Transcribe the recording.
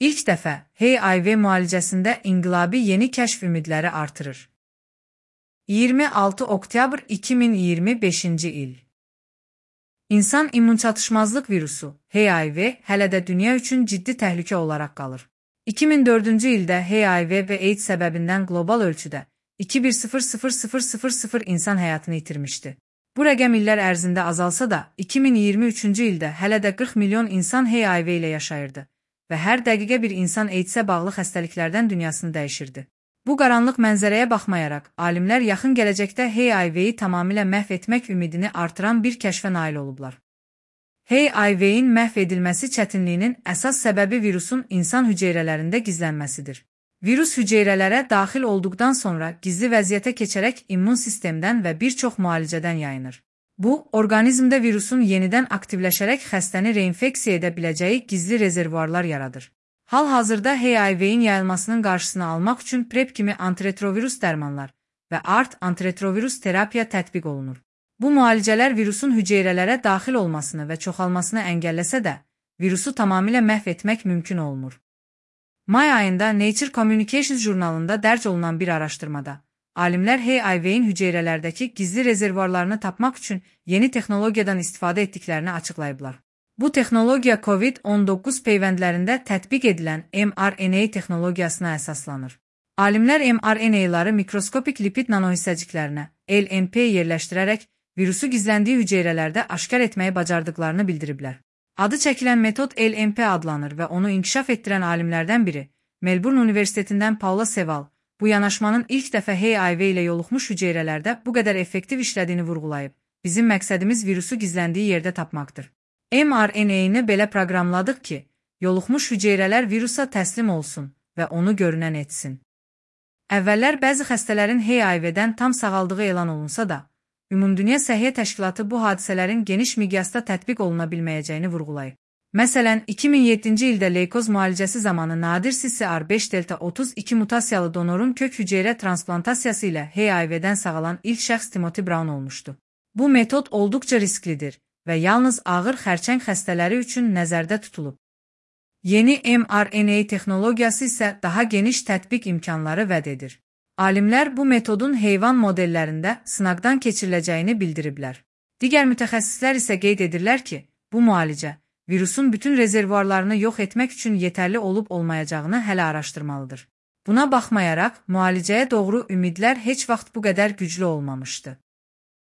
İlk dəfə HIV müalicəsində inqilabi yeni kəşf ümidləri artırır. 26 oktyabr 2025-ci il. İnsan immunçatışmazlıq virusu, HIV, hələ də dünya üçün ciddi təhlükə olaraq qalır. 2004-cü ildə HIV və AIDS səbəbindən qlobal ölçüdə 2100000 insan həyatını itirmişdi. Bu rəqəm illər ərzində azalsa da, 2023-cü ildə hələ də 40 milyon insan HIV ilə yaşayırdı və hər dəqiqə bir insan AIDS-ə bağlı xəstəliklərdən dünyasını dəyişirdi. Bu qaranlıq mənzərəyə baxmayaraq, alimlər yaxın gələcəkdə HIV-yi tamamilə məhv etmək ümidini artıran bir kəşfə nail olublar. HIV-in məhv edilməsi çətinliyinin əsas səbəbi virusun insan hüceyrələrində gizlənməsidir. Virus hüceyrələrə daxil olduqdan sonra gizli vəziyyətə keçərək immun sistemdən və bir çox müalicədən yayınır. Bu, orqanizmdə virusun yenidən aktivləşərək xəstəni reinfeksiya edə biləcəyi gizli rezervuarlar yaradır. Hal-hazırda HIV-in yayılmasının qarşısını almaq üçün PrEP kimi antiretrovirus dərmanlar və ART antiretrovirus terapiya tətbiq olunur. Bu müalicələr virusun hüceyrələrə daxil olmasını və çoxalmasını əngəlləsə də, virusu tamamilə məhv etmək mümkün olmur. May ayında Nature Communications jurnalında dərc olunan bir araşdırmada, alimlər HIV-in hüceyrələrdəki gizli rezervuarlarını tapmaq üçün yeni texnologiyadan istifadə etdiklərini açıqlayıblar. Bu texnologiya COVID-19 peyvəndlərində tətbiq edilən mRNA texnologiyasına əsaslanır. Alimlər mRNA-ları mikroskopik lipid nanohissəciklərinə, LNP yerləşdirərək virusu gizləndiyi hüceyrələrdə aşkar etməyi bacardıqlarını bildiriblər. Adı çəkilən metod LNP adlanır və onu inkişaf etdirən alimlərdən biri, Melbourne Universitetindən Paula Seval, bu yanaşmanın ilk dəfə HIV ilə yoluxmuş hüceyrələrdə bu qədər effektiv işlədiyini vurğulayıb. Bizim məqsədimiz virusu gizləndiyi yerdə tapmaqdır. mRNA-ni belə proqramladıq ki, yoluxmuş hüceyrələr virusa təslim olsun və onu görünən etsin. Əvvəllər bəzi xəstələrin HIV-dən tam sağaldığı elan olunsa da, Ümumdünya Səhiyyə Təşkilatı bu hadisələrin geniş miqyasda tətbiq oluna bilməyəcəyini vurğulayıb. Məsələn, 2007-ci ildə leykoz müalicəsi zamanı nadir CCR5 delta 32 mutasiyalı donorun kök hüceyrə transplantasiya ilə HIV-dən sağalan ilk şəxs Timothy Brown olmuşdu. Bu metod olduqca risklidir və yalnız ağır xərçəng xəstələri üçün nəzərdə tutulub. Yeni mRNA texnologiyası isə daha geniş tətbiq imkanları vəd edir. Alimlər bu metodun heyvan modellərində sınaqdan keçiriləcəyini bildiriblər. Digər mütəxəssislər isə qeyd edirlər ki, bu müalicə virusun bütün rezervuarlarını yox etmək üçün yetərli olub-olmayacağını hələ araşdırmalıdır. Buna baxmayaraq, müalicəyə doğru ümidlər heç vaxt bu qədər güclü olmamışdı.